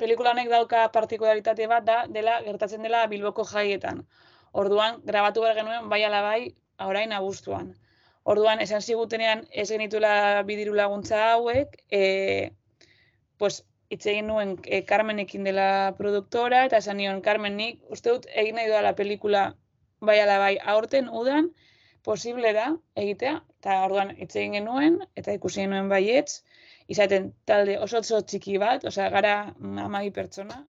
pelikula honek dauka partikularitate bat dela gertatzen dela Bilboko jaietan. Orduan, grabatu behar genuen, bai ala bai, orain abuztuan. Orduan, esan zigutenean ez genituela bidiru laguntza hauek, pues, hitz egin nuen Carmenekin dela produktora, eta esan nion, Carmen, nik uste dut egin nahi dudala pelikula bai ala bai, aurten udan, posible da egitea, eta orduan hitz egin genuen, eta ikusi genuen baietz, izaten talde oso txiki bat, osea, gara 12 pertsona.